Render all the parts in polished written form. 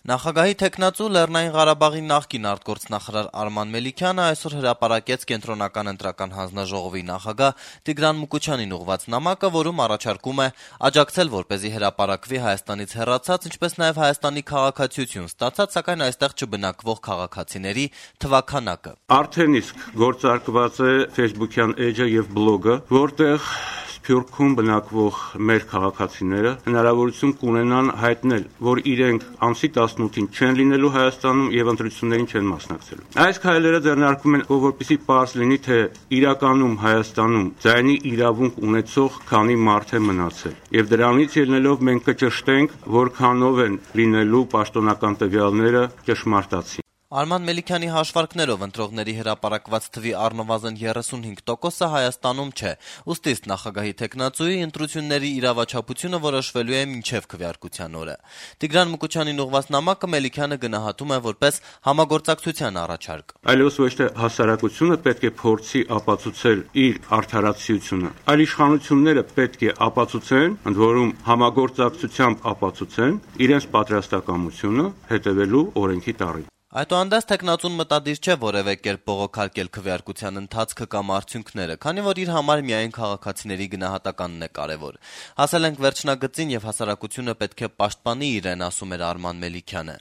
Նախագահի թեկնածու Լեռնային Ղարաբաղի նախկին արտգործնախարար Արման Մելիքյանը այսօր հրապարակեց Կենտրոնական ընտրական հանձնաժողովի նախագահ Տիգրան Մուկուչյանին ուղղված նամակը, որում առաջարկում է աջակցել, որպեսզի հրապարակվի Հայաստանից հեռացած, ինչպես նաև Հայաստանի քաղաքացիություն ստացած, սակայն այստեղ չբնակվող քաղաքացիների թվաքանակը։ Արդեն իսկ գործարկված է Facebook-յան էջը եւ բլոգը, որտեղ Սփյուռքում բնակվող մեր քաղաքացիները հնարավորություն կունենան հայտնել, որ իրենք ամսի 18-ին չեն լինելու Հայաստանում եւ ընտրություններին չեն մասնակցելու։ Այս քայլերը ձեռնարկվում են, որպեսզի պարզ լինի, թե իրականում Հայաստանում ձայնի իրավունք ունեցող քանի մարդ է մնացել։ Եվ դրանից ելնելով մենք կճշտենք, որքանով են լինելու պաշտոնական տվյալները ճշմարտացի։ Արման Մելիքյանի հաշվարկներով ընտրողների հրապարակված թվի առնվազն 35%-ը Հայաստանում չէ, ուստի ըստ նախագահի թեկնածուի ընտրությունների իրավաչափությունը որոշվելու է մինչև քվեարկության օրը։ Տիգրան Մուկուչյանին ուղղված նամակը Մելիքյանը գնահատում է որպես համագործակցության առաջարկ։ Այլևս ոչ թե հասարակությունը պետք է փորձի ապացուցել իր արդարացիությունը, այլ իշխանությունները պետք է ապացուցեն, ընդ որում համագործակցությամբ ապացուցեն իրենց պատրաստակամությունը հետևելու օրենքի տառին։ Այդուհանդերձ թեկնածուն մտադիր չէ որևէ կերպ բողոքարկել քվեարկության ընթացքը կամ արդյունքները, քանի որ իր համար միայն քաղաքացիների գնահատականն է կարևոր։ Հասել ենք վերջնագծին եւ հասարակությունը պետք է պաշտպանի իրեն, ասում էր Արման Մելիքյանը։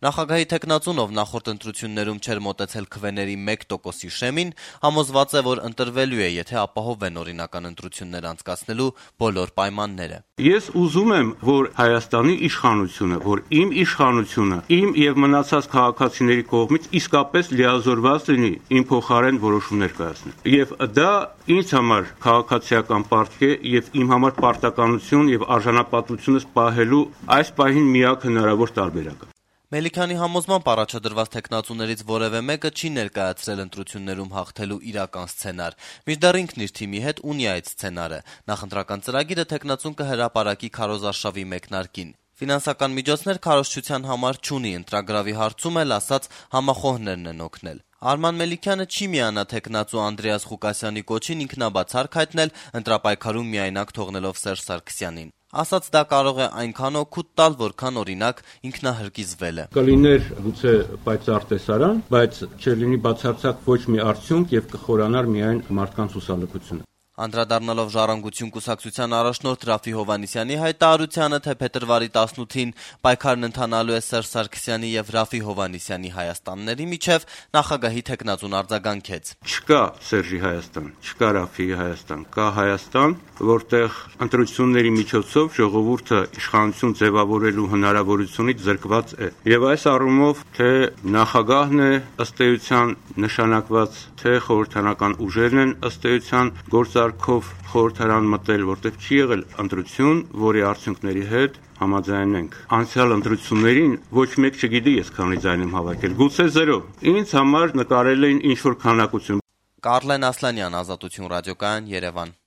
Նախագահի թեկնածուն, ով նախորդ ընտրություններում չէր մոտեցել քվեների 1%-ի շեմին, համոզված է, որ ընտրվելու է, եթե ապահովեն օրինական ընտրություններ անցկացնելու բոլոր պայմանները։ Ես ուզում եմ, որ Հայաստանի իշխանությունը, որ իմ իշխանությունը, իմ եւ մնացած քաղաքացիների կողմից իսկապես լիազորված լինի իմ փոխարեն որոշումներ կայացնել։ Եվ դա ինձ համար քաղաքացիական պարտք է եւ իմ համար պարտականություն եւ արժանապատվությունս պահելու այս պահին միակ հնարավոր տարբերակը։ Մելիքյանի համոզմամբ առաջադրված թեկնածուներից որևէ մեկը չի ներկայացրել ընտրություններում հաղթելու իրական սցենար։ Մինչդեռ ինքն իր թիմի հետ ունի այդ սցենարը։ Նախընտրական ծրագիրը թեկնածուն կհրապարակի քարոզարշավի մեկնարկին։ Ֆինանսական միջոցներ քարոզչության համար չունի, ընտրագրավի հարցում էլ ասած համախոհներն են օգնել։ Արման Մելիքյանը չի միանա թեկնածու Անդրեաս Ղուկասյանի կոչին ինքնաբացարկ հայտնել, ընտրապայքարում միայնակ թողնելով Սերժ Սարգսյանին։ Ասաց դա կարող է այնքան օգուտ տալ, որքան օրինակ ինքնահրկիզվել է։ Կլիներ գուցե պայծառ տեսարան, բայց չլինի բացարձակ ոչ մի արդյունք եւ կխորանար միայն մարդկանց հուսալքությունը։ Անդրադառնալով Ժառանգություն կուսակցության առաջնորդ Ռաֆի Հովհաննիսյանի հայտարարությանը, թե փետրվարի 18-ին պայքարն ընթանալու է Սերժ Սարգսյանի եւ Ռաֆի Հովհաննիսյանի Հայաստանների միջև, նախագահի թեկնածուն արձագանքեց. Չկա Սերժի Հայաստան, չկա Ռաֆիի Հայաստան, կա Հայաստան, որտեղ ընտրությունների միջոցով ժողովուրդը իշխանություն ձևավորելու հնարավորությունից զրկված է։ Եվ այս առումով թե նախագահն է ըստ էության նշանակված, թե խորհրդարանական ուժերն են ըստ էության գործարքով խորհրդարան մտել, որտեղ չի եղել ընտրություն, որի արդյունքների հետ համաձայնենք։ Անցյալ ընտրություններին ոչ մեկ չգիտի ես քանի ձայն եմ հավաքել, գուցե 0։ Ինձ համար նկարել էին ինչ-որ քանակություն։ Կարլեն Ասլանյան, Ազատություն ռադիոկայան, Երևան։